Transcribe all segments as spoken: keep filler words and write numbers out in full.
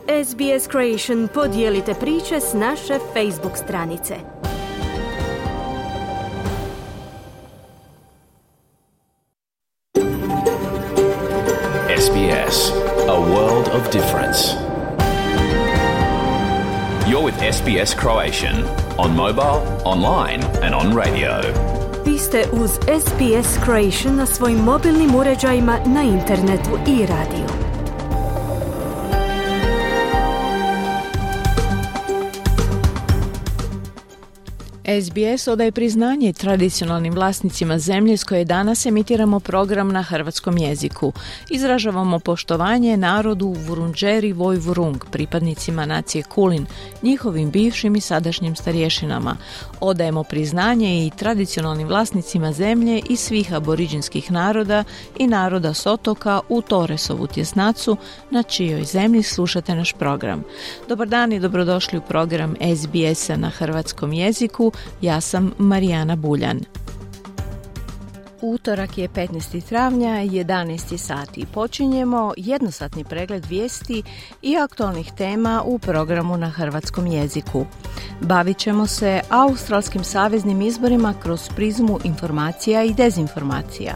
S B S Creation podijelite priče s naše Facebook stranice. S B S, a world of difference. You're with S B S Croatian on mobile, online and on radio. Vi ste uz S B S Croatian na svojim mobilnim uređajima, na internetu i radiju. S B S odaje priznanje tradicionalnim vlasnicima zemlje s koje danas emitiramo program na hrvatskom jeziku. Izražavamo poštovanje narodu Vurundjeri Woi-wurrung, pripadnicima nacije Kulin, njihovim bivšim i sadašnjim starješinama. Odajemo priznanje i tradicionalnim vlasnicima zemlje i svih aboriđinskih naroda i naroda s otoka u Torresovu tjesnacu, na čijoj zemlji slušate naš program. Dobar dan i dobrodošli u program S B S-a na hrvatskom jeziku. Ja sam Marijana Buljan. Utorak je petnaestog travnja, jedanaest sati. Počinjemo jednosatni pregled vijesti i aktualnih tema u programu na hrvatskom jeziku. Bavit ćemo se australskim saveznim izborima kroz prizmu informacija i dezinformacija.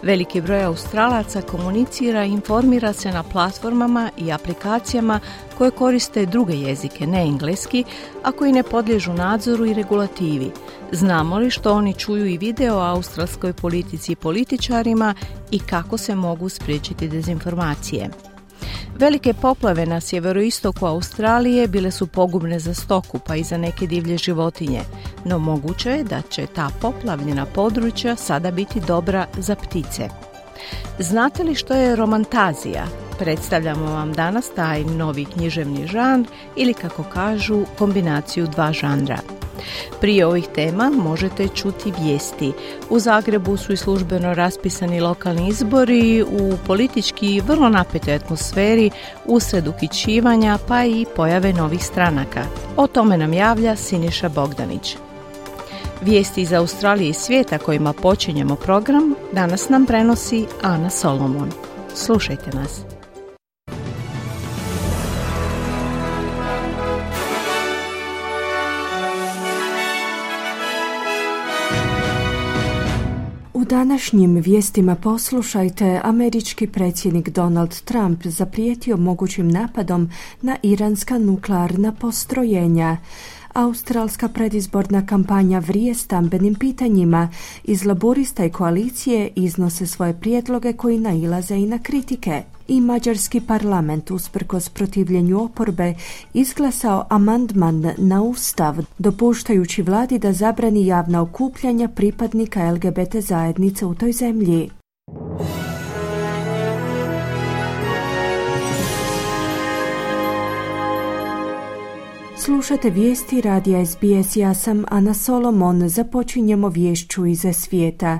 Veliki broj Australaca komunicira i informira se na platformama i aplikacijama koje koriste druge jezike, ne engleski, a koji ne podliježu nadzoru i regulativi. Znamo li što oni čuju i vide o australskoj politici i političarima i kako se mogu spriječiti dezinformacije? Velike poplave na sjeveroistoku Australije bile su pogubne za stoku, pa i za neke divlje životinje, no moguće je da će ta poplavljena područja sada biti dobra za ptice. Znate li što je romantazija? Predstavljamo vam danas taj novi književni žanr ili, kako kažu, kombinaciju dva žanra. Prije ovih tema možete čuti vijesti. U Zagrebu su i službeno raspisani lokalni izbori u politički vrlo napetoj atmosferi usred uhićivanja pa i pojave novih stranaka. O tome nam javlja Siniša Bogdanić. Vijesti iz Australije i svijeta kojima počinjemo program danas nam prenosi Ana Solomon. Slušajte nas. U današnjim vijestima poslušajte, američki predsjednik Donald Trump zaprijetio mogućim napadom na iranska nuklearna postrojenja. Australska predizborna kampanja vrije stambenim pitanjima. Iz Laburista i koalicije iznose svoje prijedloge koji nailaze i na kritike. I mađarski parlament, usprkos protivljenju oporbe, izglasao amandman na ustav, dopuštajući vladi da zabrani javna okupljanja pripadnika L G B T zajednice u toj zemlji. Slušate vijesti radija S B S, ja sam Ana Solomon. Započinjemo viješću iz svijeta.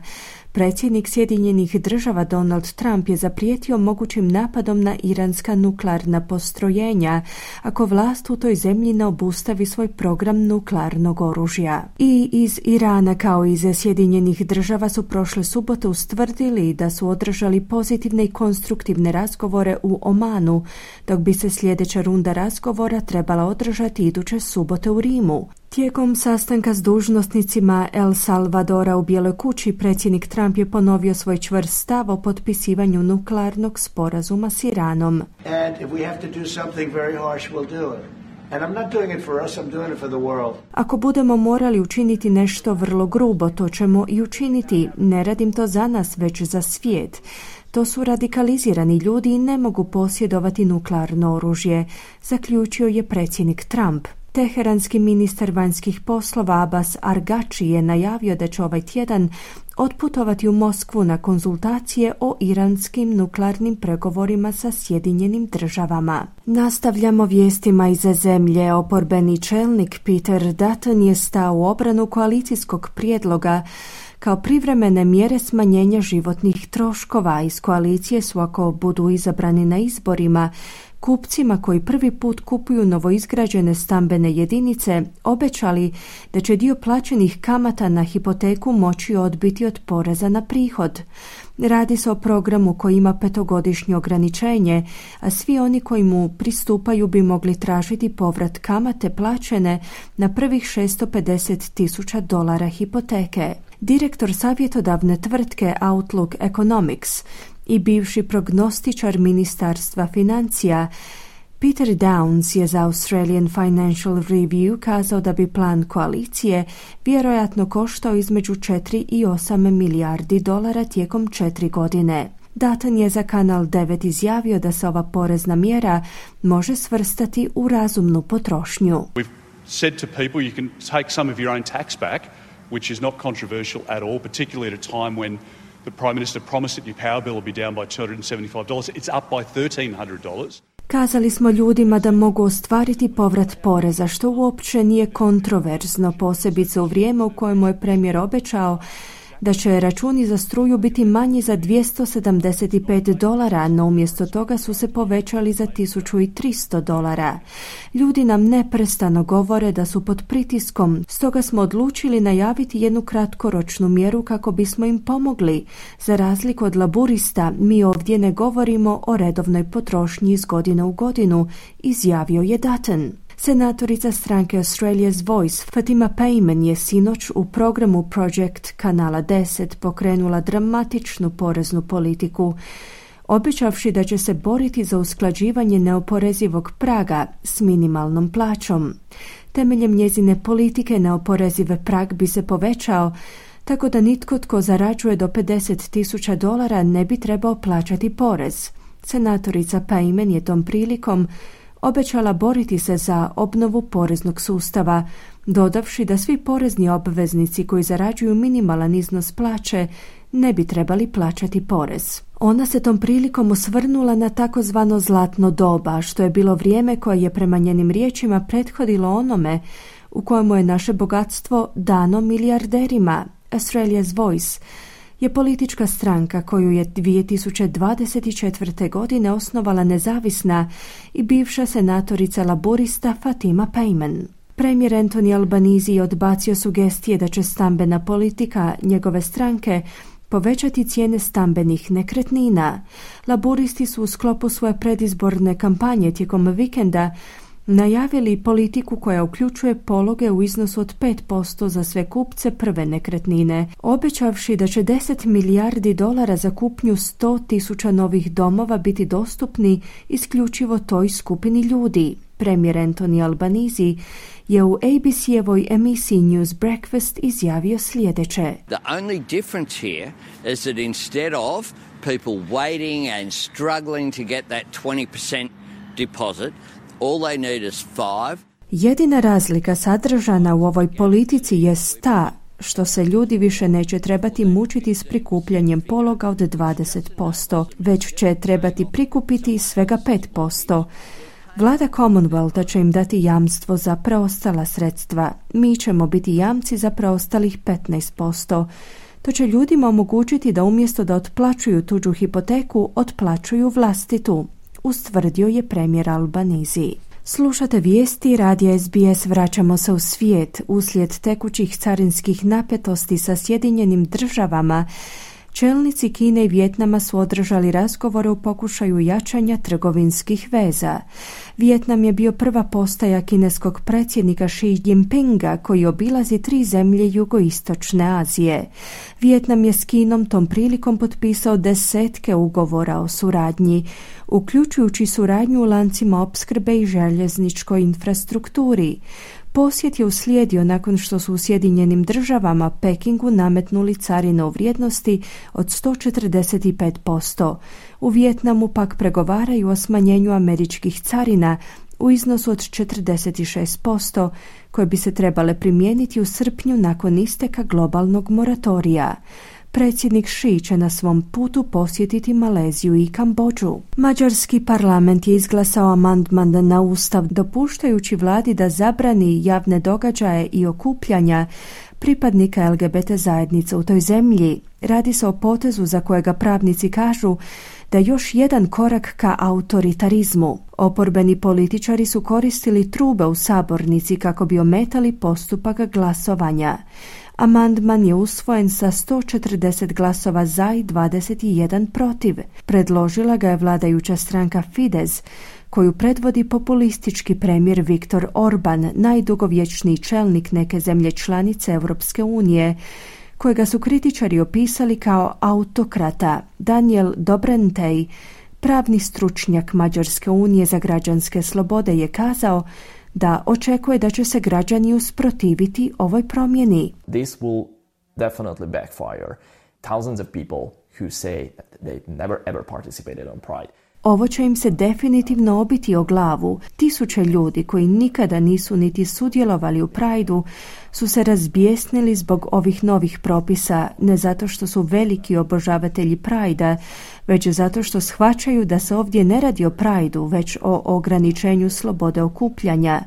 Predsjednik Sjedinjenih država Donald Trump je zaprijetio mogućim napadom na iranska nuklearna postrojenja ako vlast u toj zemlji ne obustavi svoj program nuklearnog oružja. I iz Irana kao i iz Sjedinjenih država su prošle subote ustvrdili da su održali pozitivne i konstruktivne razgovore u Omanu, dok bi se sljedeća runda razgovora trebala održati iduće subote u Rimu. Tijekom sastanka s dužnosnicima El Salvadora u Bijeloj kući, predsjednik Trump je ponovio svoj čvrst stav o potpisivanju nuklearnog sporazuma s Iranom. And if we have to do something very harsh, we'll do it. And I'm not doing it for us, I'm doing it for the world. Ako budemo morali učiniti nešto vrlo grubo, to ćemo i učiniti. Ne radim to za nas, već za svijet. To su radikalizirani ljudi i ne mogu posjedovati nuklearno oružje, zaključio je predsjednik Trump. Teheranski ministar vanjskih poslova Abbas Argači je najavio da će ovaj tjedan otputovati u Moskvu na konzultacije o iranskim nuklearnim pregovorima sa Sjedinjenim državama. Nastavljamo vijestima iz zemlje. Oporbeni čelnik Peter Dutton je stao u obranu koalicijskog prijedloga kao privremene mjere smanjenja životnih troškova. Iz koalicije su, ako budu izabrani na izborima, kupcima koji prvi put kupuju novoizgrađene stambene jedinice obećali da će dio plaćenih kamata na hipoteku moći odbiti od poreza na prihod. Radi se o programu koji ima petogodišnje ograničenje, a svi oni koji mu pristupaju bi mogli tražiti povrat kamate plaćene na prvih šesto pedeset tisuća dolara hipoteke. Direktor savjetodavne tvrtke Outlook Economics i bivši prognostičar Ministarstva financija Peter Downs je za Australian Financial Review kazao da bi plan koalicije vjerojatno koštao između četiri i osam milijardi dolara tijekom četiri godine. Dutton je za Kanal devet izjavio da se ova porezna mjera može svrstati u razumnu potrošnju. We've said to people you can take some of your own tax back, which is not controversial at all, particularly at a time when the Prime Minister promised that your power bill will be down by two hundred seventy-five dollars. It's up by thirteen hundred dollars. Kazali smo ljudima da mogu ostvariti povrat poreza, što uopće nije kontroverzno, posebice u vrijeme u kojemu je premijer obećao da će računi za struju biti manji za dvjesto sedamdeset pet dolara, no umjesto toga su se povećali za tisuću tristo dolara. Ljudi nam neprestano govore da su pod pritiskom, stoga smo odlučili najaviti jednu kratkoročnu mjeru kako bismo im pomogli. Za razliku od laburista, mi ovdje ne govorimo o redovnoj potrošnji iz godine u godinu, izjavio je Dutton. Senatorica stranke Australia's Voice Fatima Payman je sinoć u programu Project Kanala deset pokrenula dramatičnu poreznu politiku, obećavši da će se boriti za usklađivanje neoporezivog praga s minimalnom plaćom. Temeljem njezine politike neoporezive prag bi se povećao tako da nitko tko zarađuje do pedeset tisuća dolara ne bi trebao plaćati porez. Senatorica Payman je tom prilikom obećala boriti se za obnovu poreznog sustava, dodavši da svi porezni obveznici koji zarađuju minimalan iznos plaće ne bi trebali plaćati porez. Ona se tom prilikom osvrnula na takozvano zlatno doba, što je bilo vrijeme koje je prema njenim riječima prethodilo onome u kojemu je naše bogatstvo dano milijarderima. Australia's Voice je politička stranka koju je dvije tisuće dvadeset četvrte. godine osnovala nezavisna i bivša senatorica laburista Fatima Payman. Premijer Anthony Albanese je odbacio sugestije da će stambena politika njegove stranke povećati cijene stambenih nekretnina. Laburisti su u sklopu svoje predizborne kampanje tijekom vikenda najavili politiku koja uključuje pologe u iznosu od pet posto za sve kupce prve nekretnine, obećavši da će deset milijardi dolara za kupnju sto tisuća novih domova biti dostupni isključivo toj skupini ljudi. Premijer Anthony Albanese je u A B C-evoj emisiji News Breakfast izjavio sljedeće. The only difference here is that instead of people waiting and struggling to get that twenty percent deposit, all they need is five. Jedina razlika sadržana u ovoj politici jest ta što se ljudi više neće trebati mučiti s prikupljanjem pologa od dvadeset posto, već će trebati prikupiti svega pet posto. Vlada Commonwealtha će im dati jamstvo za preostala sredstva. Mi ćemo biti jamci za preostalih petnaest posto. To će ljudima omogućiti da umjesto da otplaćuju tuđu hipoteku, otplaćuju vlastitu, ustvrdio je premijer Albanese. Slušate vijesti radija S B S. Vraćamo se u svijet. Uslijed tekućih carinskih napetosti sa Sjedinjenim državama, čelnici Kine i Vijetnama su održali razgovore u pokušaju jačanja trgovinskih veza. Vijetnam je bio prva postaja kineskog predsjednika Xi Jinpinga koji obilazi tri zemlje jugoistočne Azije. Vijetnam je s Kinom tom prilikom potpisao desetke ugovora o suradnji, uključujući suradnju u lancima opskrbe i željezničkoj infrastrukturi. Posjet je uslijedio nakon što su u Sjedinjenim državama Pekingu nametnuli carine u vrijednosti od sto četrdeset pet posto. U Vijetnamu pak pregovaraju o smanjenju američkih carina u iznosu od četrdeset šest posto koje bi se trebale primijeniti u srpnju nakon isteka globalnog moratorija. Predsjednik Xi će na svom putu posjetiti Maleziju i Kambodžu. Mađarski parlament je izglasao amandman na ustav dopuštajući vladi da zabrani javne događaje i okupljanja pripadnika L G B T zajednice u toj zemlji. Radi se o potezu za kojega pravnici kažu da je još jedan korak ka autoritarizmu. Oporbeni političari su koristili trube u sabornici kako bi ometali postupak glasovanja. Amandman je usvojen sa sto četrdeset glasova za i dvadeset jedan protiv. Predložila ga je vladajuća stranka Fidesz, koju predvodi populistički premijer Viktor Orban, najdugovječniji čelnik neke zemlje članice Europske unije, kojega su kritičari opisali kao autokrata. Daniel Dobrentej, pravni stručnjak Mađarske unije za građanske slobode, je kazao da očekuje da će se građani usprotiviti ovoj promjeni. This will definitely backfire. Thousands of people who say that they've never ever participated on Pride. Ovo će im se definitivno obiti o glavu. Tisuće ljudi koji nikada nisu niti sudjelovali u Prideu su se razbijesnili zbog ovih novih propisa, ne zato što su veliki obožavatelji Pridea, već zato što shvaćaju da se ovdje ne radi o Prideu, već o ograničenju slobode okupljanja.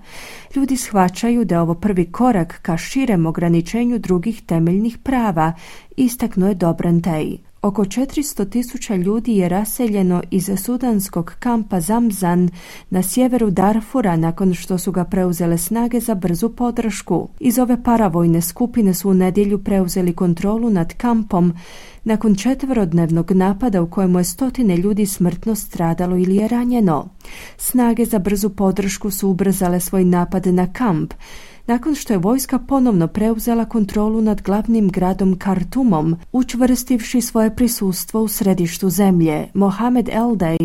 Ljudi shvaćaju da je ovo prvi korak ka širem ograničenju drugih temeljnih prava, istaknuo je Dobrentej. Oko četiristo tisuća ljudi je raseljeno iz sudanskog kampa Zamzan na sjeveru Darfura nakon što su ga preuzele snage za brzu podršku. Iz ove paravojne skupine su u nedjelju preuzeli kontrolu nad kampom nakon četverodnevnog napada u kojemu je stotine ljudi smrtno stradalo ili je ranjeno. Snage za brzu podršku su ubrzale svoj napad na kamp nakon što je vojska ponovno preuzela kontrolu nad glavnim gradom Kartumom, učvrstivši svoje prisustvo u središtu zemlje. Mohamed Eldej,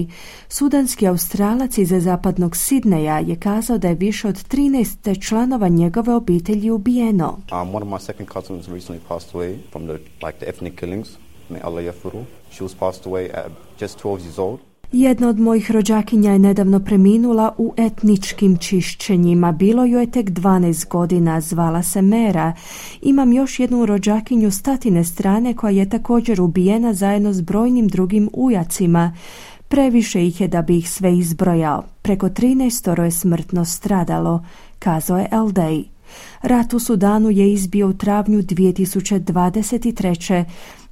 sudanski Australac iz zapadnog Sidneja, je kazao da je više od trinaest članova njegove obitelji ubijeno. Um, one of my second cousins recently passed away from the like the ethnic killings. May Allah yafuru. She was passed away at just twelve years old. Jedna od mojih rođakinja je nedavno preminula u etničkim čišćenjima. Bilo joj je tek dvanaest godina, zvala se Mera. Imam još jednu rođakinju s tatine strane koja je također ubijena zajedno s brojnim drugim ujacima. Previše ih je da bi ih sve izbrojao. Preko trinaestoro je smrtno stradalo, kazao je Eldej. Rat u Sudanu je izbio u travnju dvije tisuće dvadeset treće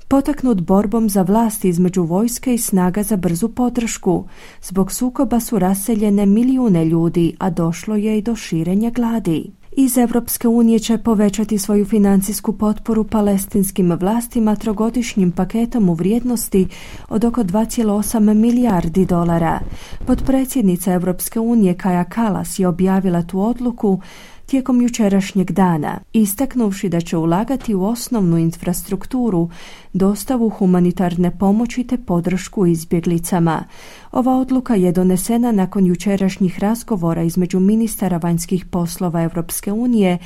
potaknut borbom za vlast između vojske i snaga za brzu podršku. Zbog sukoba su raseljene milijune ljudi, a došlo je i do širenja gladi. Iz Europske unije će povećati svoju financijsku potporu palestinskim vlastima trogodišnjim paketom u vrijednosti od oko dva zarez osam milijardi dolara. Potpredsjednica Europske unije Kaja Kallas je objavila tu odluku tijekom jučerašnjeg dana, istaknuvši da će ulagati u osnovnu infrastrukturu, dostavu humanitarne pomoći te podršku izbjeglicama. Ova odluka je donesena nakon jučerašnjih razgovora između ministara vanjskih poslova Europske unije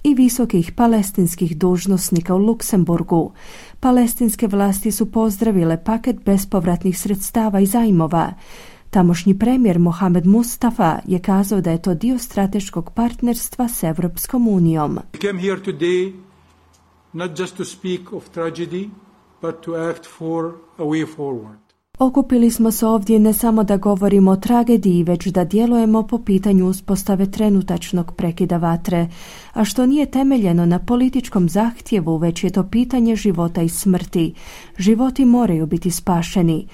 i visokih palestinskih dužnosnika u Luksemburgu. Palestinske vlasti su pozdravile paket bespovratnih sredstava i zajmova. Tamošnji premijer Mohamed Mustafa je kazao da je to dio strateškog partnerstva s Europskom unijom. We came here today not just to speak of tragedy, but to act for a way forward. Okupili smo se ovdje ne samo da govorimo o tragediji, već da djelujemo po pitanju uspostave trenutačnog prekida vatre, a što nije temeljeno na političkom zahtjevu, već je to pitanje života i smrti. Životi moraju biti spašeni.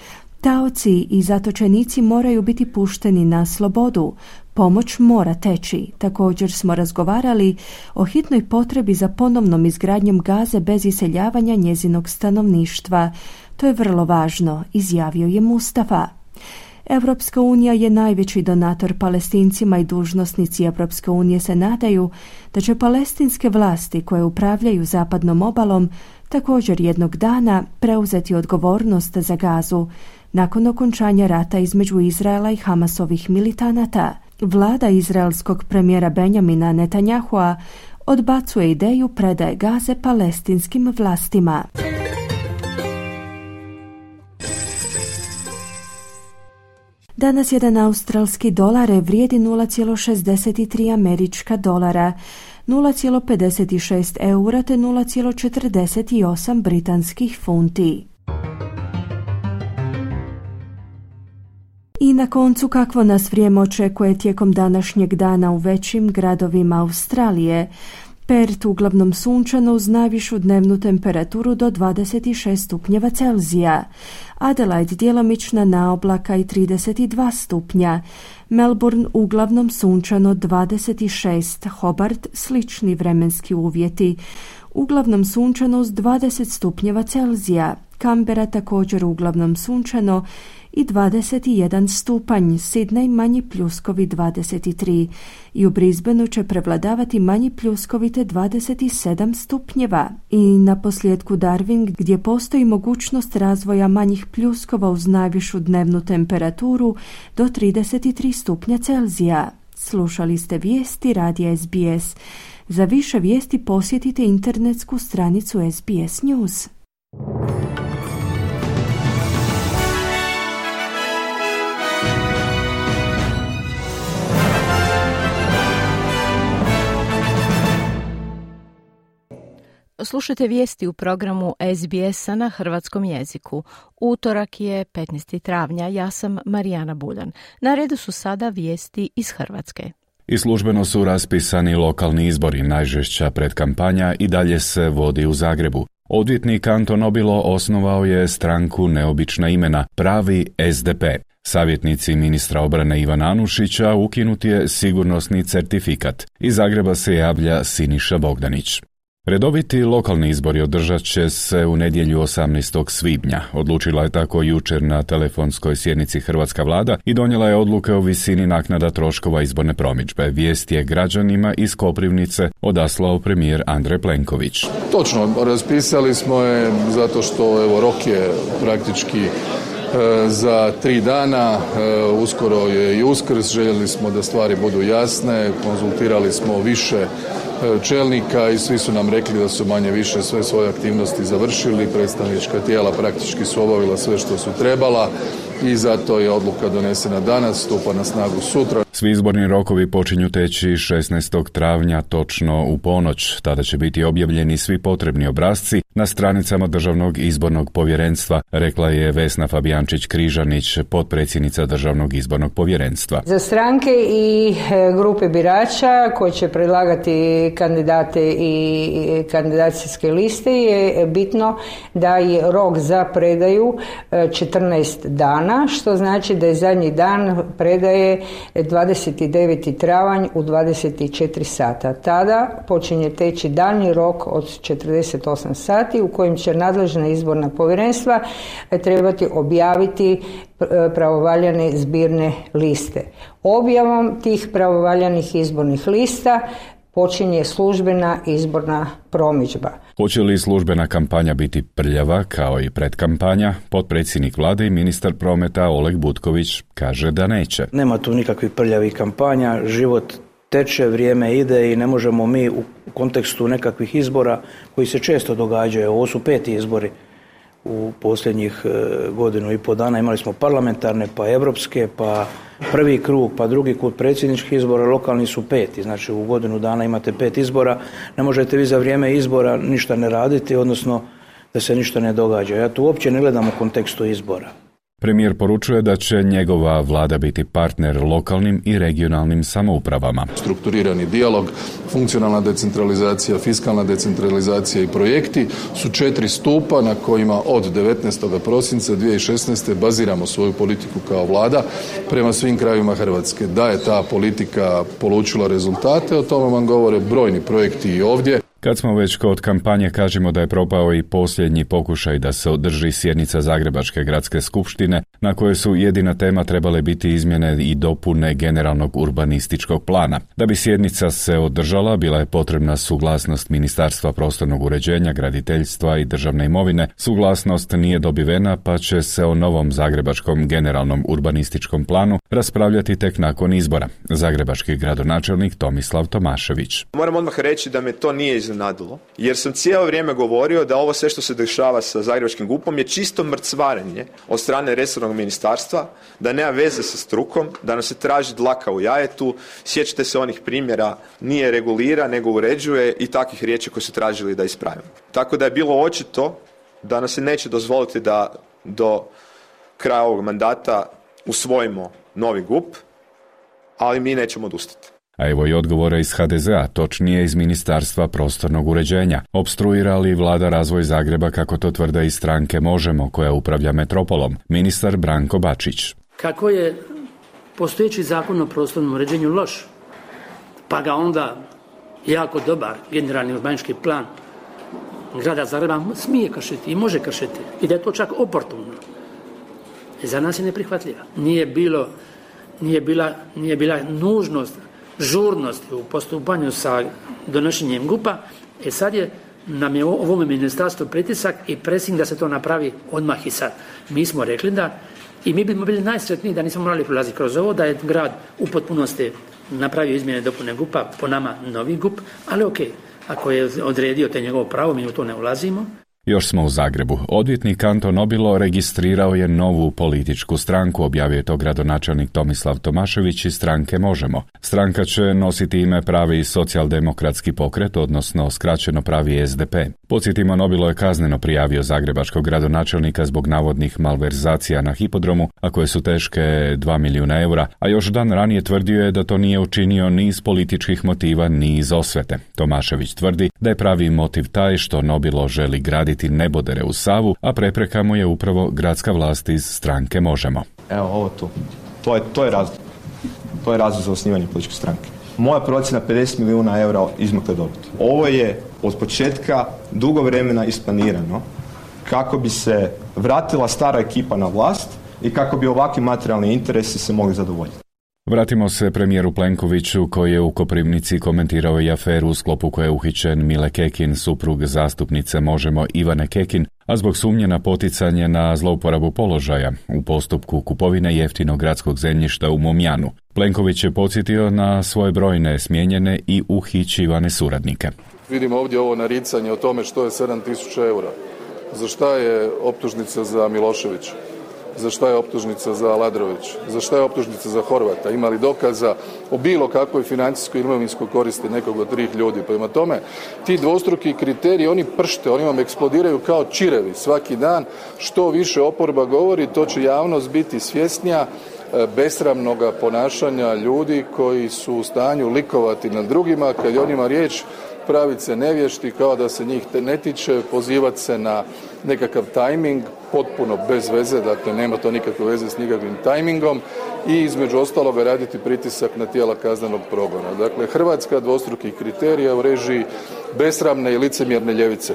Taoci i zatočenici moraju biti pušteni na slobodu. Pomoć mora teći. Također smo razgovarali o hitnoj potrebi za ponovnom izgradnjom Gaze bez iseljavanja njezinog stanovništva. To je vrlo važno, izjavio je Mustafa. Europska unija je najveći donator Palestincima i dužnosnici Europske unije se nadaju da će palestinske vlasti koje upravljaju zapadnom obalom također jednog dana preuzeti odgovornost za Gazu nakon okončanja rata između Izraela i Hamasovih militanata. Vlada izraelskog premijera Benjamina Netanyahua odbacuje ideju predaje Gaze palestinskim vlastima. Danas jedan australski dolar vrijedi nula zarez šezdeset tri američka dolara, nula zarez pedeset šest eura te nula zarez četrdeset osam britanskih funti. I na koncu, kakvo nas vrijeme očekuje tijekom današnjeg dana u većim gradovima Australije. Perth uglavnom sunčano uz najvišu dnevnu temperaturu do dvadeset šest stupnjeva Celzija. Adelaide djelomična naoblaka i trideset dva stupnja. Melbourne uglavnom sunčano dvadeset šest. Hobart slični vremenski uvjeti. Uglavnom sunčano uz dvadeset stupnjeva Celzija. Canberra također uglavnom sunčano i dvadeset jedan stupanj, Sydney manji pljuskovi dvadeset tri i u Brisbaneu će prevladavati manji pljuskovi te dvadeset sedam stupnjeva. I na posljedku Darwin gdje postoji mogućnost razvoja manjih pljuskova uz najvišu dnevnu temperaturu do trideset tri stupnja Celzija. Slušali ste vijesti radija S B S. Za više vijesti posjetite internetsku stranicu S B S News. Slušajte vijesti u programu S B S-a na hrvatskom jeziku. Utorak je petnaestog travnja, ja sam Marijana Buljan. Na redu su sada vijesti iz Hrvatske. I službeno su raspisani lokalni izbori, najžešća predkampanja i dalje se vodi u Zagrebu. Odvjetnik Anton Obilo osnovao je stranku Neobična imena, Pravi S D P. Savjetnici ministra obrane Ivana Anušića ukinut je sigurnosni certifikat. Iz Zagreba se javlja Siniša Bogdanić. Redoviti lokalni izbori održat će se u nedjelju osamnaestog svibnja. Odlučila je tako jučer na telefonskoj sjednici hrvatska vlada i donijela je odluke o visini naknada troškova izborne promidžbe. Vijest je građanima iz Koprivnice odaslao premijer Andrej Plenković. Točno, raspisali smo je zato što evo, rok je praktički e, za tri dana, e, uskoro je i Uskrs, željeli smo da stvari budu jasne, konzultirali smo više čelnika i svi su nam rekli da su manje više sve svoje aktivnosti završili, predstavnička tijela praktički su obavila sve što su trebala i zato je odluka donesena danas, stupa na snagu sutra. Svi izborni rokovi počinju teći šesnaestog travnja točno u ponoć. Tada će biti objavljeni svi potrebni obrasci na stranicama Državnog izbornog povjerenstva, rekla je Vesna Fabijančić-Križanić, potpredsjednica Državnog izbornog povjerenstva. Za stranke i grupe birača koji će predlagati kandidate i kandidacijske liste je bitno da je rok za predaju četrnaest dana, što znači da je zadnji dan predaje dvadeset deveti travanj u dvadeset četiri sata. Tada počinje teći daljnji rok od četrdeset osam sati u kojem će nadležna izborna povjerenstva trebati objaviti pravovaljane zbirne liste. Objavom tih pravovaljanih izbornih lista počinje službena izborna promidžba. Hoće li službena kampanja biti prljava kao i predkampanja? Potpredsjednik vlade i ministar prometa Oleg Butković kaže da neće. Nema tu nikakvih prljavih kampanja, život teče, vrijeme ide i ne možemo mi u kontekstu nekakvih izbora koji se često događaju, ovo su peti izbori u posljednjih godinu i pol dana, imali smo parlamentarne, pa evropske, pa prvi krug, pa drugi krug predsjedničkih izbora, lokalni su peti, znači u godinu dana imate pet izbora, ne možete vi za vrijeme izbora ništa ne raditi, odnosno da se ništa ne događa. Ja tu uopće ne gledam u kontekstu izbora. Premijer poručuje da će njegova vlada biti partner lokalnim i regionalnim samoupravama. Strukturirani dijalog, funkcionalna decentralizacija, fiskalna decentralizacija i projekti su četiri stupa na kojima od devetnaestog prosinca dvije tisuće šesnaeste baziramo svoju politiku kao vlada prema svim krajevima Hrvatske. Da je ta politika polučila rezultate, o tome vam govore brojni projekti i ovdje. Kad smo već kod kampanje, kažemo da je propao i posljednji pokušaj da se održi sjednica Zagrebačke gradske skupštine, na kojoj su jedina tema trebale biti izmjene i dopune generalnog urbanističkog plana. Da bi sjednica se održala, bila je potrebna suglasnost Ministarstva prostornog uređenja, graditeljstva i državne imovine. Suglasnost nije dobivena, pa će se o novom Zagrebačkom generalnom urbanističkom planu raspravljati tek nakon izbora. Zagrebački gradonačelnik Tomislav Tomašević. Moram odmah reći da me to nije iznenadilo, jer sam cijelo vrijeme govorio da ovo sve što se dešava sa Zagrebačkim gupom je čisto mrcvarenje od strane resornog ministarstva, da nema veze sa strukom, da nam se traži dlaka u jajetu, sjećate se onih primjera, nije regulira nego uređuje i takvih riječi koje su tražili da ispravimo. Tako da je bilo očito da nam se neće dozvoliti da do kraja ovog mandata usvojimo novi gup, ali mi nećemo odustati. A evo i odgovora iz ha de zea, točnije iz Ministarstva prostornog uređenja. Opstruira li vlada razvoj Zagreba, kako to tvrde iz stranke Možemo, koja upravlja metropolom? Ministar Branko Bačić. Kako je postojeći zakon o prostornom uređenju loš, pa ga onda jako dobar generalni urbanistički plan grada Zagreba smije kršiti i može kršiti i da je to čak oportuno, za nas je neprihvatljiva. Nije bilo, nije bila, nije bila nužnost, žurnost u postupanju sa donošenjem gupa, e sad je nam je ovome ministarstvu pritisak i pressing da se to napravi odmah i sad. Mi smo rekli da, i mi bismo bili najsretniji da nismo morali prolaziti kroz ovo, da je grad u potpunosti napravio izmjene i dopune gupa, po nama novi gup, ali ok, ako je odredio te njegovo pravo, mi u to ne ulazimo. Još smo u Zagrebu. Odvjetnik Anto Nobilo registrirao je novu političku stranku, objavio je to gradonačelnik Tomislav Tomašević iz stranke Možemo. Stranka će nositi ime Pravi socijaldemokratski pokret, odnosno skraćeno Pravi es de pe. Podsjetimo, Nobilo je kazneno prijavio zagrebačkog gradonačelnika zbog navodnih malverzacija na hipodromu, a koje su teške dva milijuna eura, a još dan ranije tvrdio je da to nije učinio ni iz političkih motiva, ni iz osvete. Tomašević tvrdi da je pravi motiv taj što Nobilo želi graditi nebodere u Savu, a prepreka mu je upravo gradska vlast iz stranke Možemo. Evo ovo tu. To je, to je razlog. To je razlog za osnivanje političke stranke. Moja procjena pedeset milijuna eura izmakle dobiti. Ovo je od početka dugo vremena isplanirano kako bi se vratila stara ekipa na vlast i kako bi ovakvi materijalni interesi se mogli zadovoljiti. Vratimo se premijeru Plenkoviću, koji je u Koprivnici komentirao i aferu u sklopu koje je uhićen Mile Kekin, suprug zastupnice Možemo Ivane Kekin, a zbog sumnje na poticanje na zlouporabu položaja u postupku kupovine jeftinog gradskog zemljišta u Momjanu. Plenković je podsjetio na svoje brojne smijenjene i uhićivane suradnike. Vidimo ovdje ovo naricanje o tome što je sedam tisuća eura. Za šta je optužnica za Miloševića? Za šta je optužnica za Aladrović? Za šta je optužnica za Horvata? Ima li dokaza o bilo kakvoj financijskoj i imovinskoj koristi nekog od trih ljudi? Prema tome, ti dvostruki kriteriji, oni pršte, oni vam eksplodiraju kao čirevi svaki dan. Što više oporba govori, to će javnost biti svjesnija besramnoga ponašanja ljudi koji su u stanju likovati nad drugima, kad je o njima riječ, praviti se nevješti kao da se njih ne tiče, pozivati se na nekakav tajming, potpuno bez veze, dakle nema to nikakve veze s nikakvim tajmingom i između ostaloga raditi pritisak na tijela kaznenog progona. Dakle, Hrvatska dvostrukih kriterija u režiji besramne i licemjerne ljevice.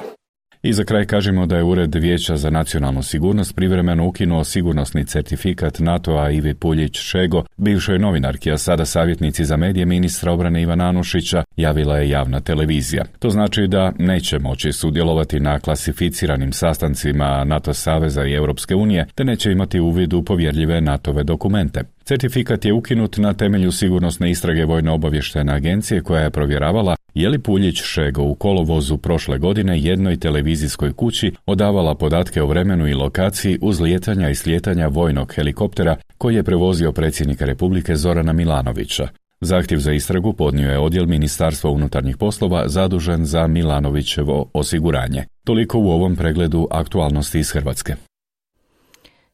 I za kraj kažemo da je Ured Vijeća za nacionalnu sigurnost privremeno ukinuo sigurnosni certifikat NATO-a Ivi Puljić-Šego, bivšoj novinarki, a sada savjetnici za medije ministra obrane Ivana Anušića, javila je javna televizija. To znači da neće moći sudjelovati na klasificiranim sastancima NATO saveza i Europske unije, te neće imati uvid u povjerljive NATO-ve dokumente. Certifikat je ukinut na temelju sigurnosne istrage Vojno-obavještajne agencije koja je provjeravala je li Puljić-Šego u kolovozu prošle godine jednoj televizijskoj kući odavala podatke o vremenu i lokaciji uzlijetanja i slijetanja vojnog helikoptera koji je prevozio predsjednika Republike Zorana Milanovića. Zahtjev za istragu podnio je odjel Ministarstva unutarnjih poslova zadužen za Milanovićevo osiguranje. Toliko u ovom pregledu aktualnosti iz Hrvatske.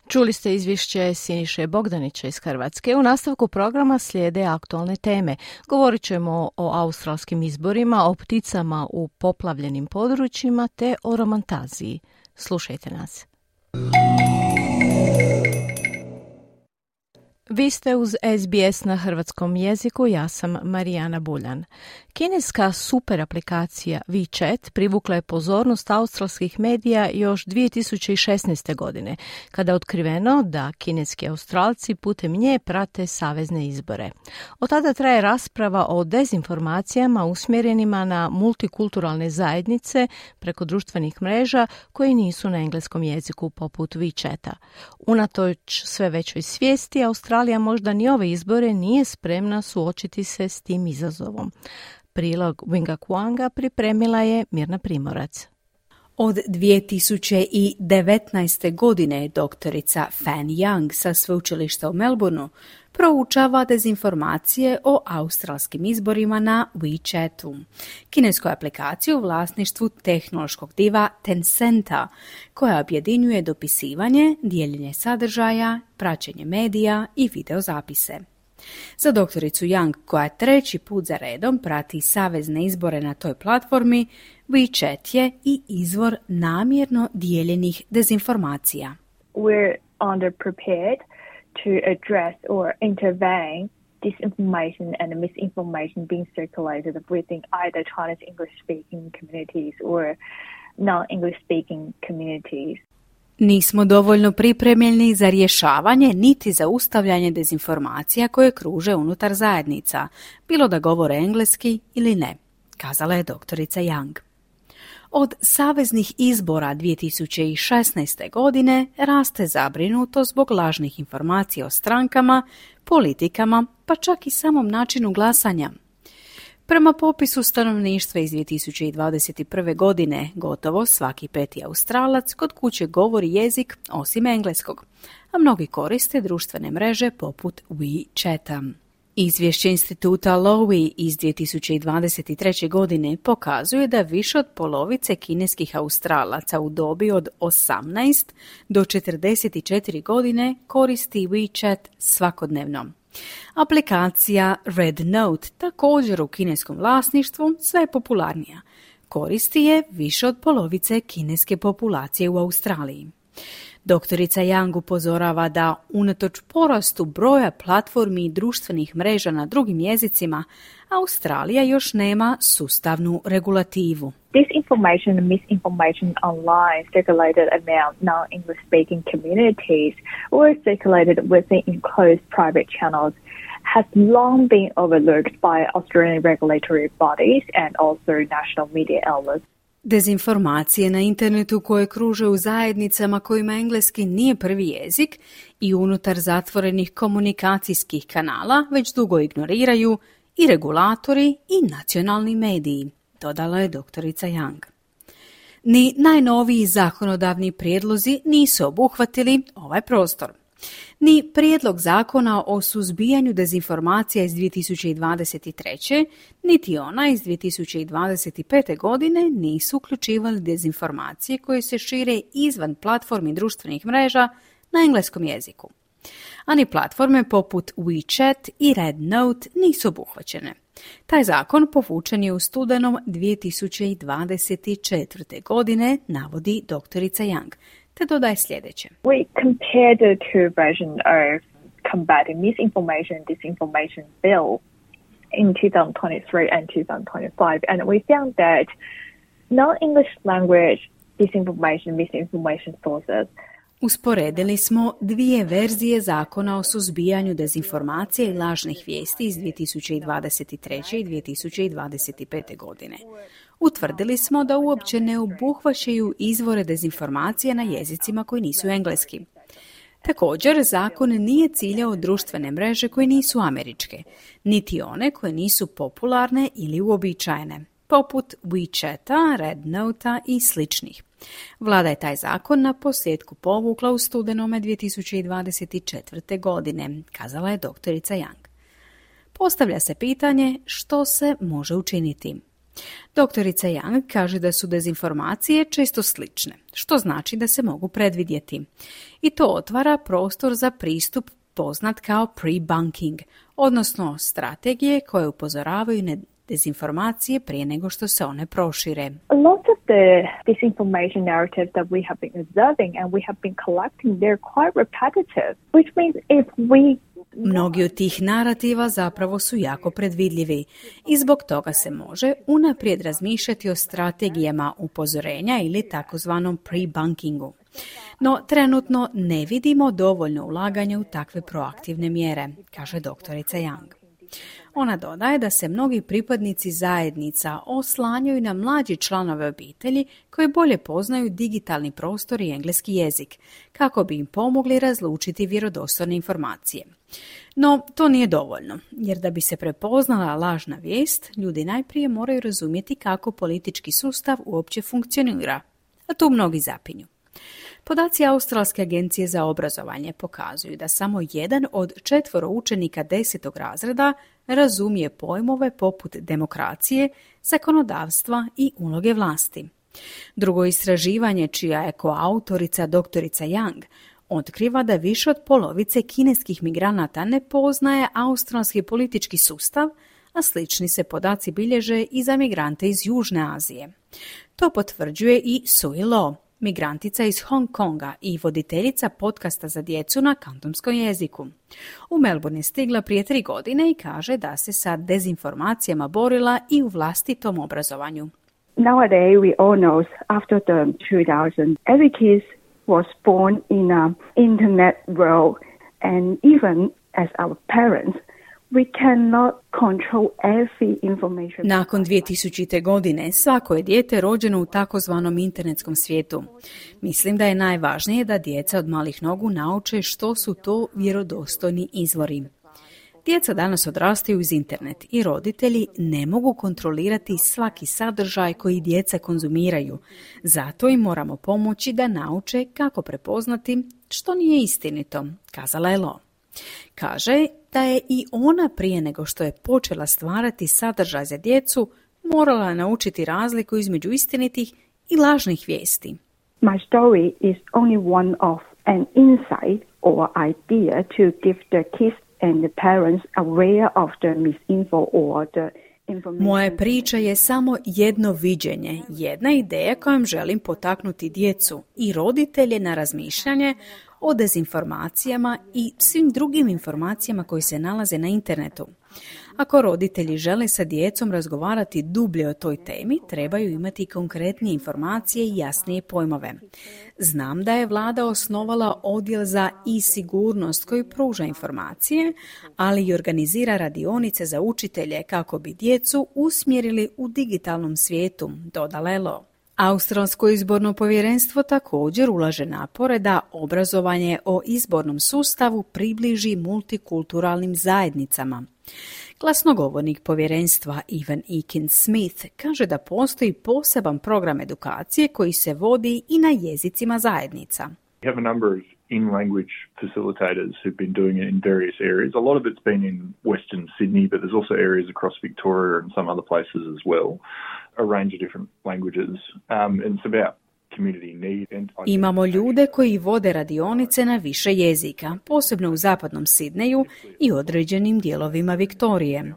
Čuli ste izvješće Siniše Bogdanića iz Hrvatske. U nastavku programa slijede aktualne teme. Govorit ćemo o australskim izborima, o pticama u poplavljenim područjima te o romantaziji. Slušajte nas. Vi ste uz es be es na hrvatskom jeziku, ja sam Marijana Buljan. Kineska super aplikacija WeChat privukla je pozornost australskih medija još dvije tisuće šesnaeste. godine, kada je otkriveno da kineski Australci putem nje prate savezne izbore. Od tada traje rasprava o dezinformacijama usmjerenima na multikulturalne zajednice preko društvenih mreža koji nisu na engleskom jeziku poput WeChata. Unatoč sve većoj svijesti, Australija možda ni ove izbore nije spremna suočiti se s tim izazovom. Prilog Winga Kuanga pripremila je Mirna Primorac. Od dvije tisuće devetnaeste. godine doktorica Fan Young sa sveučilišta u Melbourneu proučava dezinformacije o australskim izborima na WeChatu, kineskoj aplikaciji u vlasništvu tehnološkog diva Tencenta, koja objedinjuje dopisivanje, dijeljenje sadržaja, praćenje medija i videozapise. Za doktoricu Young, koja treći put za redom prati savezne izbore na toj platformi, WeChat je i izvor namjerno dijeljenih dezinformacija. We're underprepared to address or intervene disinformation and misinformation being circulated within either Chinese English-speaking communities or non-English speaking communities. Nismo dovoljno pripremljeni za rješavanje niti za ustavljanje dezinformacija koje kruže unutar zajednica, bilo da govore engleski ili ne, kazala je doktorica Young. Od saveznih izbora dvije tisuće šesnaeste. godine raste zabrinuto zbog lažnih informacija o strankama, politikama, pa čak i samom načinu glasanja. Prema popisu stanovništva iz dvije tisuće dvadeset prve. godine, gotovo svaki peti Australac kod kuće govori jezik osim engleskog, a mnogi koriste društvene mreže poput WeChata. Izvješće instituta Lowy iz dvije tisuće dvadeset treće. godine pokazuje da više od polovice kineskih Australaca u dobi od osamnaest do četrdeset četiri godine koristi WeChat svakodnevno. Aplikacija Red Note, također u kineskom vlasništvu, sve je popularnija. Koristi je više od polovice kineske populacije u Australiji. Doktorica Young upozorava da unatoč porastu broja platformi i društvenih mreža na drugim jezicima, Australija još nema sustavnu regulativu. Disinformation and misinformation online circulated among non-English speaking communities or circulated within enclosed private channels has long been overlooked by Australian regulatory bodies and also national media outlets. Dezinformacije na internetu koje kruže u zajednicama kojima engleski nije prvi jezik i unutar zatvorenih komunikacijskih kanala već dugo ignoriraju i regulatori i nacionalni mediji, dodala je doktorica Young. Ni najnoviji zakonodavni prijedlozi nisu obuhvatili ovaj prostor. Ni prijedlog zakona o suzbijanju dezinformacija iz dvije tisuće dvadeset treće. niti ona iz dvije tisuće dvadeset pete. godine nisu uključivali dezinformacije koje se šire izvan platformi društvenih mreža na engleskom jeziku. Ani platforme poput WeChat i Red Note nisu obuhvaćene. Taj zakon povučen je u studenom dvije tisuće dvadeset četvrte. godine, navodi doktorica Young, te dodaje sljedeće. We compared the two versions of combating misinformation and disinformation bill in twenty twenty-three and twenty twenty-five, and we found that non-English language disinformation and misinformation sources. Usporedili smo dvije verzije zakona o suzbijanju dezinformacije i lažnih vijesti iz dvije tisuće dvadeset treće. i dvije tisuće dvadeset pete. godine. Utvrdili smo da uopće ne obuhvaćaju izvore dezinformacije na jezicima koji nisu engleski. Također, zakon nije ciljao društvene mreže koje nisu američke, niti one koje nisu popularne ili uobičajene, poput WeChata, Red Nota i sličnih. Vlada je taj zakon na posljedku povukla u studenome dvije tisuće dvadeset četvrte. godine, kazala je doktorica Young. Postavlja se pitanje što se može učiniti. Doktorica Young kaže da su dezinformacije često slične, što znači da se mogu predvidjeti. I to otvara prostor za pristup poznat kao pre-bunking, odnosno strategije koje upozoravaju na dezinformacije prije nego što se one prošire. A lot of the disinformation narratives that we have been observing and we have been collecting, they're quite repetitive, which means if we Mnogi od tih narativa zapravo su jako predvidljivi i zbog toga se može unaprijed razmišljati o strategijama upozorenja ili takozvanom pre-bunkingu. No, trenutno ne vidimo dovoljno ulaganja u takve proaktivne mjere, kaže doktorica Young. Ona dodaje da se mnogi pripadnici zajednica oslanjaju na mlađi članove obitelji koji bolje poznaju digitalni prostor i engleski jezik, kako bi im pomogli razlučiti vjerodostojne informacije. No, to nije dovoljno, jer da bi se prepoznala lažna vijest, ljudi najprije moraju razumjeti kako politički sustav uopće funkcionira, a tu mnogi zapinju. Podaci Australske agencije za obrazovanje pokazuju da samo jedan od četvoro učenika desetog razreda razumije pojmove poput demokracije, zakonodavstva i uloge vlasti. Drugo istraživanje, čija je koautorica doktorica Young, otkriva da više od polovice kineskih migranata ne poznaje australski politički sustav, a slični se podaci bilježe i za migrante iz Južne Azije. To potvrđuje i Sui Lo, migrantica iz Hong Konga i voditeljica podcasta za djecu na kantonskom jeziku. U Melbourne je stigla prije tri godine i kaže da se sa dezinformacijama borila i u vlastitom obrazovanju. Nowadays we all know after the two thousand, every kid was born in an internet world, and even as our parents, we cannot control every information. Nakon dvije tisućite. godine svako je dijete rođeno u takozvanom internetskom svijetu. Mislim da je najvažnije da djeca od malih nogu nauče što su to vjerodostojni izvori. Djeca danas odrastaju uz internet i roditelji ne mogu kontrolirati svaki sadržaj koji djeca konzumiraju. Zato im moramo pomoći da nauče kako prepoznati što nije istinito, kazala je Lo. Kaže da je i ona prije nego što je počela stvarati sadržaj za djecu morala naučiti razliku između istinitih i lažnih vijesti. My story is only one of an insight or idea to give the kids and the parents aware of the misinfo or the information. Moja priča je samo jedno viđenje, jedna ideja kojom želim potaknuti djecu i roditelje na razmišljanje o dezinformacijama i svim drugim informacijama koji se nalaze na internetu. Ako roditelji žele sa djecom razgovarati dublje o toj temi, trebaju imati konkretnije informacije i jasnije pojmove. Znam da je vlada osnovala odjel za e-sigurnost koji pruža informacije, ali i organizira radionice za učitelje kako bi djecu usmjerili u digitalnom svijetu, dodala je Lo. Australsko izborno povjerenstvo također ulaže napore da obrazovanje o izbornom sustavu približi multikulturalnim zajednicama. Glasnogovornik povjerenstva Ivan Eakin-Smith kaže da postoji poseban program edukacije koji se vodi i na jezicima zajednica. We have a number of in-language facilitators who've been doing it in various areas. A lot of it's been in Western Sydney, but there's also areas across Victoria and some other places as well. A range of different languages. Um, and it's about community need. And Imamo ljude koji vode radionice na više jezika, posebno u zapadnom Sidneju i određenim dijelovima Viktorije.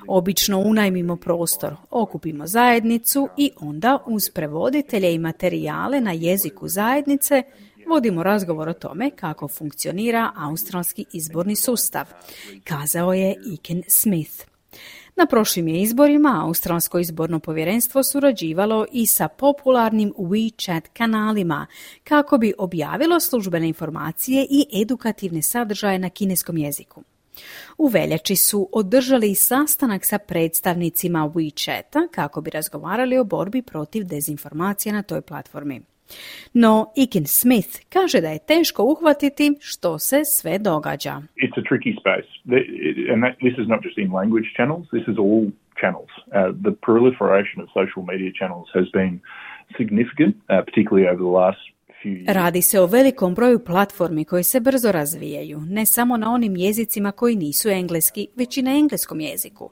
Obično unajmimo prostor, okupimo zajednicu i onda uz prevoditelje i materijale na jeziku zajednice vodimo razgovor o tome kako funkcionira australski izborni sustav, kazao je Eakin-Smith. Na prošlim je izborima Australsko izborno povjerenstvo surađivalo i sa popularnim WeChat kanalima kako bi objavilo službene informacije i edukativne sadržaje na kineskom jeziku. U veljači su održali sastanak sa predstavnicima WeChata kako bi razgovarali o borbi protiv dezinformacija na toj platformi. No, Eakin-Smith kaže da je teško uhvatiti što se sve događa. It's a tricky space. And that, this is not just in language channels, this is all channels. Uh, the proliferation of social media channels has been significant, uh, particularly over the last few years. Radi se o velikom broju platformi koje se brzo razvijaju, ne samo na onim jezicima koji nisu engleski, već i na engleskom jeziku.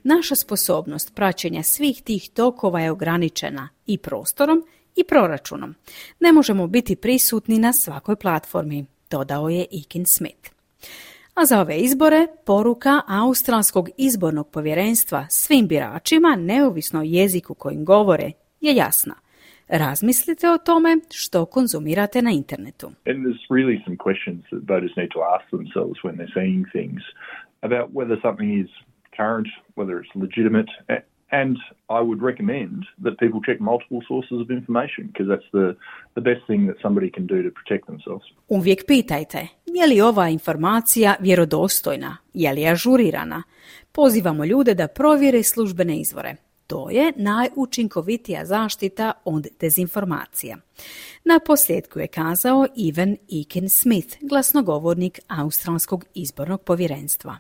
Naša sposobnost praćenja svih tih tokova je ograničena i prostorom i proračunom. Ne možemo biti prisutni na svakoj platformi, dodao je Eakin-Smith. A za ove izbore poruka Australskog izbornog povjerenstva svim biračima, neovisno o jeziku kojim govore, je jasna. Razmislite o tome što konzumirate na internetu. And there's really some questions that voters need to ask themselves when they're seeing things about whether something is current, whether it's legitimate. And I would recommend that people check multiple sources of information because that's the, the best thing that somebody can do to protect themselves. Uvijek pitajte, je li ova informacija vjerodostojna, je li ažurirana? Pozivamo ljude da provjere službene izvore. To je najučinkovitija zaštita od dezinformacija. Na posljedku je kazao Ivan Eakin-Smith, glasnogovornik Australskog izbornog povjerenstva.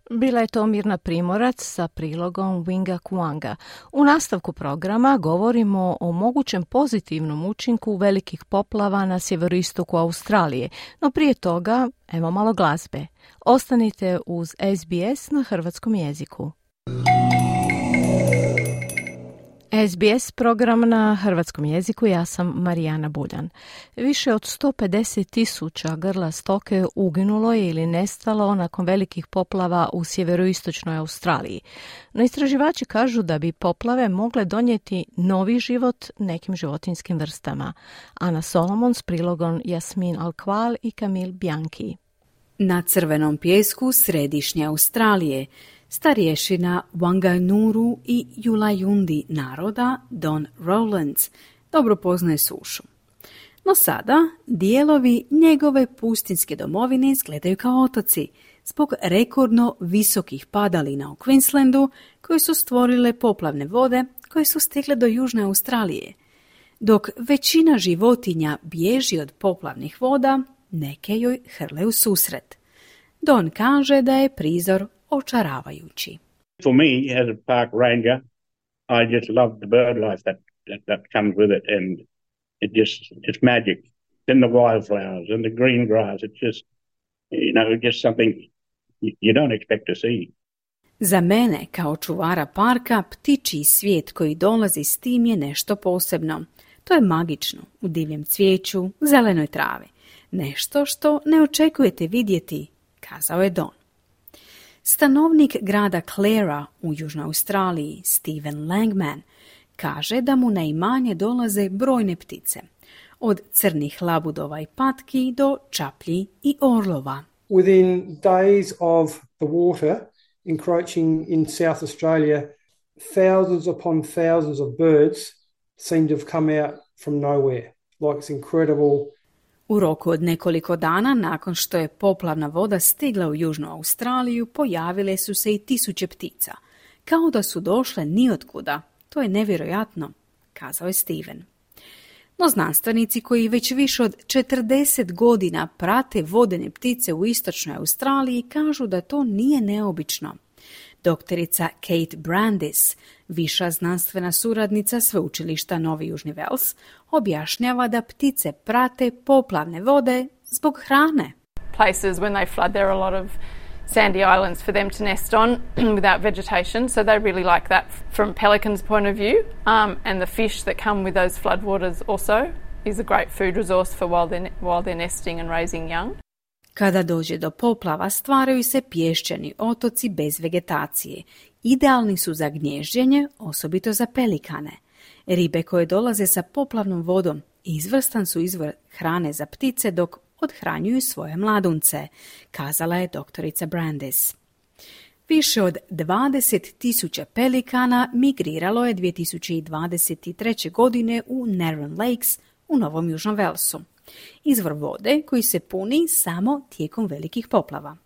Bila je to Mirna Primorac sa prilogom Winga Kuanga. U nastavku programa govorimo o mogućem pozitivnom učinku velikih poplava na sjeveroistoku Australije, no prije toga evo malo glazbe. Ostanite uz S B S na hrvatskom jeziku. S B S program na hrvatskom jeziku, ja sam Marijana Buljan. Više od sto pedeset tisuća grla stoke uginulo je ili nestalo nakon velikih poplava u sjeveroistočnoj Australiji. No istraživači kažu da bi poplave mogle donijeti novi život nekim životinjskim vrstama. Ana Solomon s prilogom Jasmin Alqual i Camille Bianchi. Na crvenom pijesku središnje Australije starješina Wanganuru i Yulayundi naroda Don Rowlands dobro poznaje sušu. No sada dijelovi njegove pustinjske domovine izgledaju kao otoci zbog rekordno visokih padalina u Queenslandu koje su stvorile poplavne vode koje su stigle do južne Australije. Dok većina životinja bježi od poplavnih voda, neke joj hrle u susret. Don kaže da je prizor očaravajući. For me, as a park ranger, I just love the bird life that, that, that comes with it, and it just it's magic. Then the wildflowers and the green grass, it's just, you know, just something you don't expect to see. Za mene, kao čuvara parka, ptičji svijet koji dolazi s tim je nešto posebno. To je magično, u divljem cvijeću, zelenoj travi. Nešto što ne očekujete vidjeti, kazao je Don. Stanovnik grada Clara u Južnoj Australiji, Steven Langman, kaže da mu na imanje dolaze brojne ptice, od crnih labudova i patki do čaplji i orlova. Within days of the water encroaching in South Australia, thousands upon thousands of birds seem to have come out from nowhere. Like it's incredible. U roku od nekoliko dana nakon što je poplavna voda stigla u Južnu Australiju, pojavile su se i tisuće ptica. Kao da su došle nijotkuda. To je nevjerojatno, kazao je Steven. No znanstvenici koji već više od četrdeset godina prate vodene ptice u istočnoj Australiji kažu da to nije neobično. Doktorica Kate Brandis, viša znanstvena suradnica sveučilišta Novi Južni Vels, objašnjava da ptice prate poplavne vode zbog hrane. Places when they flood there are a lot of sandy islands for them to nest on without vegetation, so they really like that from pelicans' point of view. Um, and the fish that come with those floodwaters also is a great food resource for while they're, while they're nesting and raising young. Kada dođe do poplava, stvaraju se pješčani otoci bez vegetacije. Idealni su za gnježđenje, osobito za pelikane. Ribe koje dolaze sa poplavnom vodom izvrstan su izvor hrane za ptice dok odhranjuju svoje mladunce, kazala je doktorica Brandis. Više od dvadeset tisuća pelikana migriralo je dvije tisuće dvadeset treće. godine u Narron Lakes u Novom Južnom Velsu. Izvor vode koji se puni samo tijekom velikih poplava.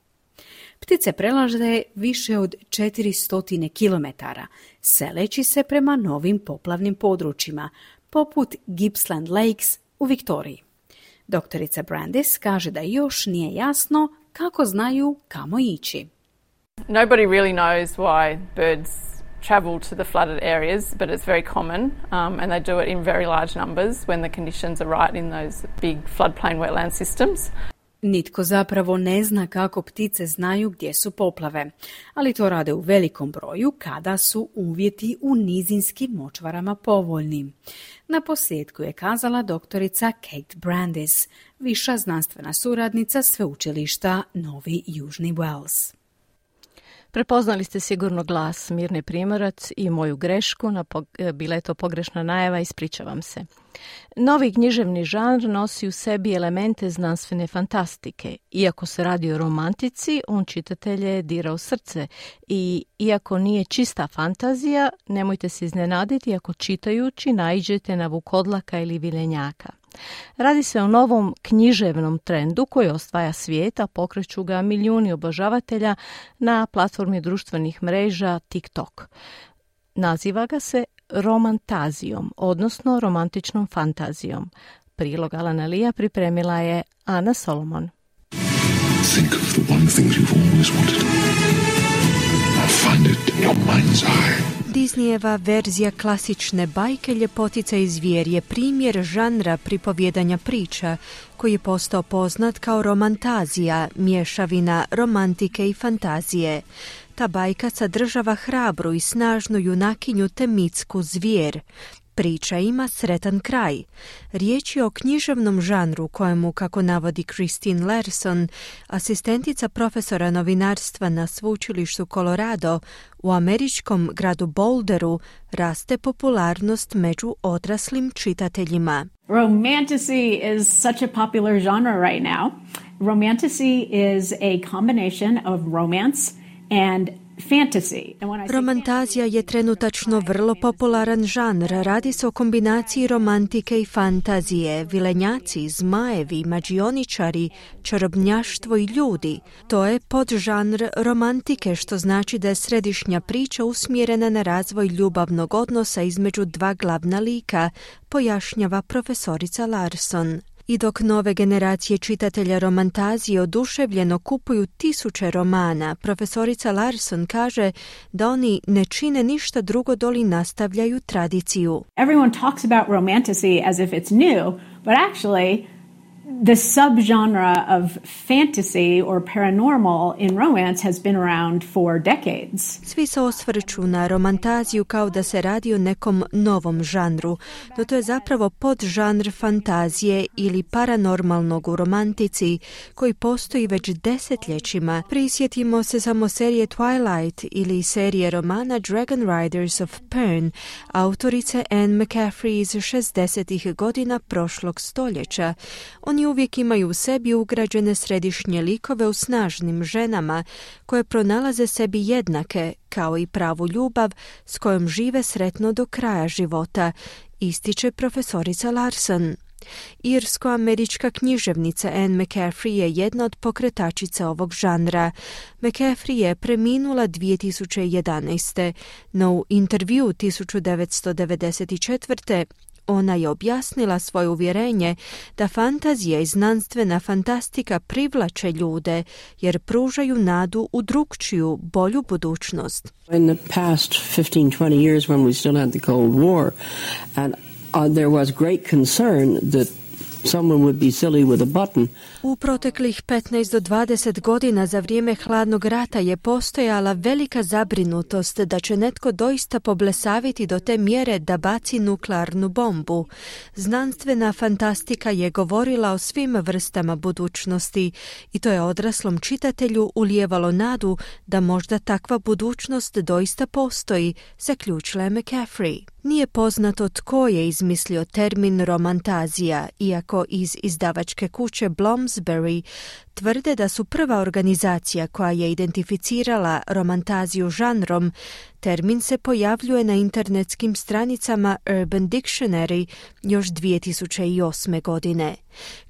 Ptice prelaze više od četiristo kilometara, seleći se prema novim poplavnim područjima, poput Gippsland Lakes u Viktoriji. Doktorica Brandis kaže da još nije jasno kako znaju kamo ići. Nobody really knows why birds travel to the flooded areas, but it's very common, um, and they do it in very large numbers when the conditions are right in those big floodplain wetland systems. Nitko zapravo ne zna kako ptice znaju gdje su poplave, ali to rade u velikom broju kada su uvjeti u nizinskim močvarama povoljni. Na posljedku je kazala doktorica Kate Brandis, viša znanstvena suradnica sveučilišta Novi Južni Wales. Prepoznali ste sigurno glas Mirne Primorac i moju grešku, na pog- bila je to pogrešna najava, ispričavam se. Novi književni žanr nosi u sebi elemente znanstvene fantastike. Iako se radi o romantici, on čitatelje dira u srce i iako nije čista fantazija, nemojte se iznenaditi ako čitajući naiđete na vukodlaka ili vilenjaka. Radi se o novom književnom trendu koji osvaja svijet, a pokreću ga milijuni obožavatelja na platformi društvenih mreža TikTok. Naziva ga se romantazijom, odnosno romantičnom fantazijom. Prilog Alana Lija pripremila je Ana Solomon. Think of the one thing you've always wanted. Now find it in your mind's eye. Disneyjeva verzija klasične bajke Ljepotica i zvijer je primjer žanra pripovjedanja priča koji je postao poznat kao romantazija, mješavina romantike i fantazije. Ta bajka sadržava hrabru i snažnu junakinju te mitsku zvijer. Priča ima sretan kraj. Riječ je o književnom žanru kojemu, kako navodi Christine Larson, asistentica profesora novinarstva na sveučilištu Colorado, u američkom gradu Boulderu raste popularnost među odraslim čitateljima. Romantasy is such a popular genre right now. Romantasy is a combination of romance and fantasy. Romantazija je trenutačno vrlo popularan žanr. Radi se o kombinaciji romantike i fantazije, vilenjaci, zmajevi, mađioničari, čarobnjaštvo i ljudi. To je podžanr romantike, što znači da je središnja priča usmjerena na razvoj ljubavnog odnosa između dva glavna lika, pojašnjava profesorica Larson. I dok nove generacije čitatelja romantazije oduševljeno kupuju tisuće romana, profesorica Larson kaže da oni ne čine ništa drugo doli nastavljaju tradiciju. Everyone talks about romantasy as if it's new, but actually the subgenre of fantasy or paranormal in romance has been around for decades. Svi se osvrću na romantaziju kao da se radi o nekom novom žanru, no to je zapravo podžanr fantazije ili paranormalnog u romantici koji postoji već desetljećima. Prisjetimo se samo serije Twilight ili serije romana Dragon Riders of Pern, autorice Anne McCaffrey iz šezdesetih godina prošlog stoljeća. Oni uvijek imaju u sebi ugrađene središnje likove u snažnim ženama koje pronalaze sebi jednake, kao i pravu ljubav s kojom žive sretno do kraja života, ističe profesorica Larson. Irsko-američka književnica Anne McCaffrey je jedna od pokretačica ovog žanra. McCaffrey je preminula dvije tisuće jedanaeste, no u intervju tisuću devetsto devedeset četvrte ona je objasnila svoje uvjerenje da fantazija i znanstvena fantastika privlače ljude jer pružaju nadu u drukčiju, bolju budućnost. In the past fifteen to twenty years when we still had the Cold War, and uh, there was great concern that someone would be silly with a button. U proteklih petnaest do dvadeset godina za vrijeme hladnog rata je postojala velika zabrinutost da će netko doista poblesaviti do te mjere da baci nuklearnu bombu. Znanstvena fantastika je govorila o svim vrstama budućnosti i to je odraslom čitatelju ulijevalo nadu da možda takva budućnost doista postoji, zaključila je McCaffrey. Nije poznato tko je izmislio termin romantazija, iako iz izdavačke kuće Bloomsbury tvrde da su prva organizacija koja je identificirala romantaziju žanrom. Termin se pojavljuje na internetskim stranicama Urban Dictionary još dvije tisuće osme. godine.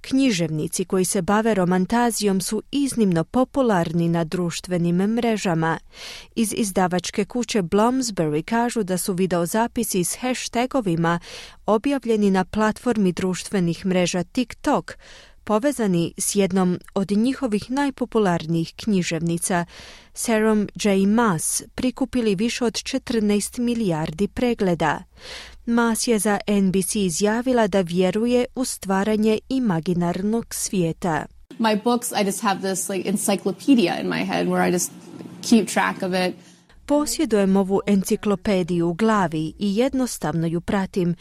Književnici koji se bave romantazijom su iznimno popularni na društvenim mrežama. Iz izdavačke kuće Bloomsbury kažu da su videozapisi s hashtagovima objavljeni na platformi društvenih mreža TikTok, povezani s jednom od njihovih najpopularnijih književnica, Sarah J. Maas, prikupili više od četrnaest milijardi pregleda. Maas je za N B C izjavila da vjeruje u stvaranje imaginarnog svijeta. My books, I just have this like encyclopedia in my head where I just keep track of it. Posjedujem ovu enciklopediju u glavi i jednostavno ju pratim.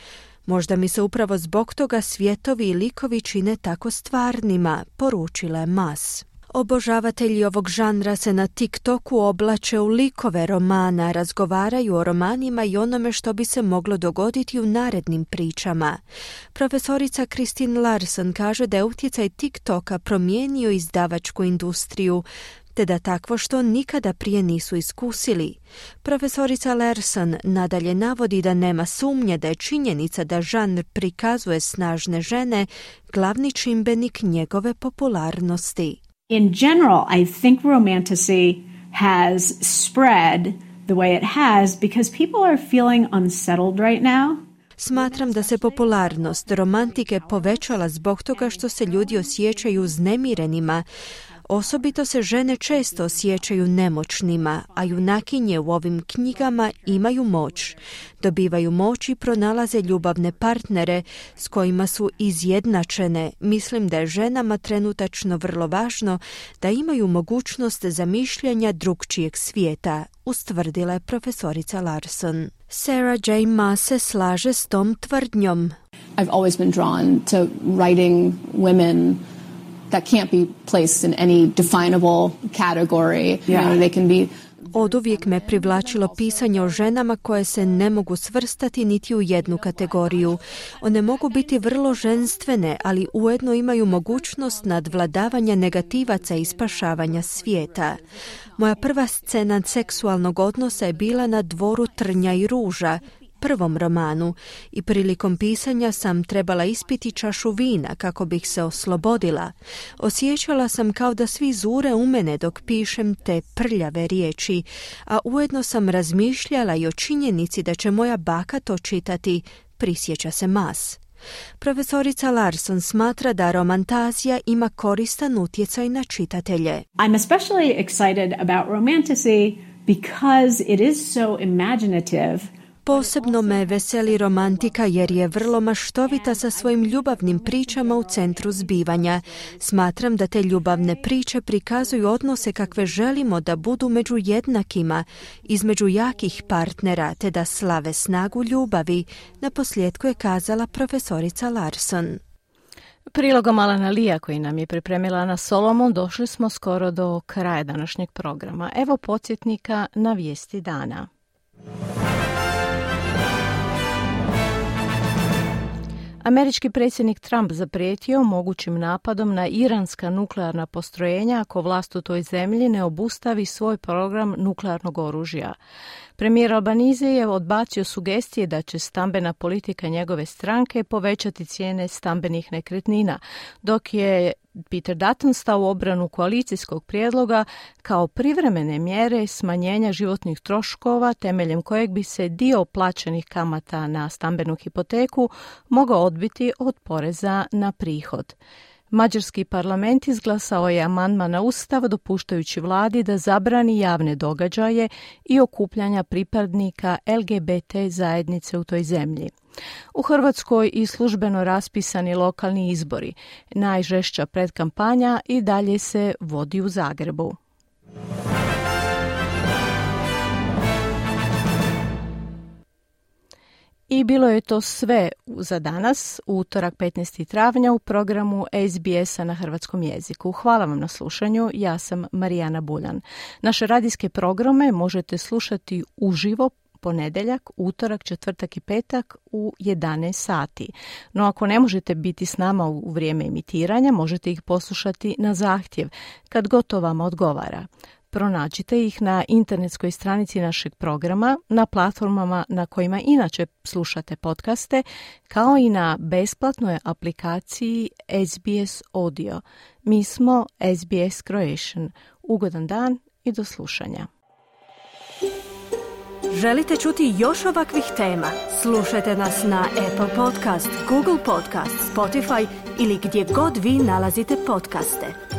Možda mi se upravo zbog toga svjetovi i likovi čine tako stvarnima, poručila je Maas. Obožavatelji ovog žanra se na TikToku oblače u likove romana, razgovaraju o romanima i onome što bi se moglo dogoditi u narednim pričama. Profesorica Christine Larson kaže da je utjecaj TikToka promijenio izdavačku industriju, te da takvo što nikada prije nisu iskusili. Profesorica Larson nadalje navodi da nema sumnje da je činjenica da žanr prikazuje snažne žene glavni čimbenik njegove popularnosti. In general, I think romantasy has spread the way it has because people are feeling unsettled right now. Smatram da se popularnost romantike povećala zbog toga što se ljudi osjećaju uznemirenima. Osobito se žene često osjećaju nemoćnima, a junakinje u ovim knjigama imaju moć. Dobivaju moć i pronalaze ljubavne partnere s kojima su izjednačene. Mislim da je ženama trenutačno vrlo važno da imaju mogućnost zamišljanja drugčijeg svijeta, ustvrdila je profesorica Larson. Sarah J. Maas se slaže s tom tvrdnjom. I've always been drawn to writing women that can't be placed in any definable category. Yeah. You know, they can be Oduvijek me privlačilo pisanje o ženama koje se ne mogu svrstati niti u jednu kategoriju. One mogu biti vrlo ženstvene, ali ujedno imaju mogućnost nadvladavanja negativaca i spašavanja svijeta. Moja prva scena seksualnog odnosa je bila na dvoru Trnja i ruža, prvom romanu, i prilikom pisanja sam trebala ispiti čašu vina kako bih se oslobodila. Osjećala sam kao da svi zure u mene dok pišem te prljave riječi, a ujedno sam razmišljala i o činjenici da će moja baka to čitati, prisjeća se Maas. Profesorica Larson smatra da romantazija ima koristan utjecaj na čitatelje. I'm especially excited about romantasy because it is so imaginative. Posebno me veseli romantika jer je vrlo maštovita sa svojim ljubavnim pričama u centru zbivanja. Smatram da te ljubavne priče prikazuju odnose kakve želimo da budu među jednakima, između jakih partnera, te da slave snagu ljubavi, naposljetku je kazala profesorica Larson. Prilogom Alana Lija koji nam je pripremila Ana Solomon došli smo skoro do kraja današnjeg programa. Evo podsjetnika na vijesti dana. Američki predsjednik Trump zaprijetio mogućim napadom na iranska nuklearna postrojenja ako vlast u toj zemlji ne obustavi svoj program nuklearnog oružja. Premijer Albanize je odbacio sugestije da će stambena politika njegove stranke povećati cijene stambenih nekretnina, dok je Peter Dutton stao u obranu koalicijskog prijedloga kao privremene mjere smanjenja životnih troškova temeljem kojeg bi se dio plaćenih kamata na stambenu hipoteku mogao odbiti od poreza na prihod. Mađarski parlament izglasao je amandman na Ustav dopuštajući vladi da zabrani javne događaje i okupljanja pripadnika L G B T zajednice u toj zemlji. U Hrvatskoj i službeno raspisani lokalni izbori. Najžešća predkampanja i dalje se vodi u Zagrebu. I bilo je to sve za danas, utorak petnaestog travnja u programu S B S-a na hrvatskom jeziku. Hvala vam na slušanju, ja sam Marijana Buljan. Naše radijske programe možete slušati uživo ponedjeljak, utorak, četvrtak i petak u jedanaest sati. No ako ne možete biti s nama u vrijeme emitiranja, možete ih poslušati na zahtjev, kad god to vama odgovara. Pronađite ih na internetskoj stranici našeg programa, na platformama na kojima inače slušate podcaste, kao i na besplatnoj aplikaciji S B S Audio. Mi smo S B S Croatian. Ugodan dan i do slušanja. Želite čuti još ovakvih tema? Slušajte nas na Apple Podcast, Google Podcast, Spotify ili gdje god vi nalazite podcaste.